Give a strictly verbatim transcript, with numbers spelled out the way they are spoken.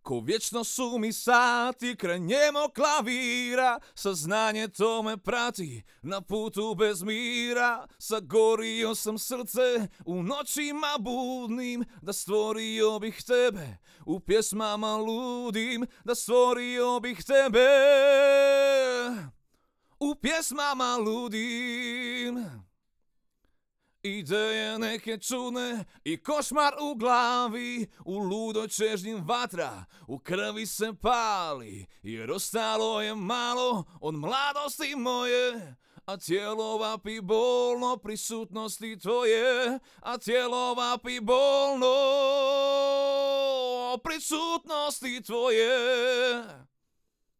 Ko vječno su mi sati kraj njemog klavira, saznanje to me prati na putu bez mira. Sagorio sam srce u noćima budnim, da stvorio bih tebe u pjesmama ludim, da stvorio bih tebe u pjesmama ludim. Ideje neke čudne i košmar u glavi, u ludoj čežnji vatra u krvi se pali, jer ostalo je malo od mladosti moje, a tijelo vapi bolno prisutnosti tvoje, a tijelo vapi bolno prisutnosti tvoje.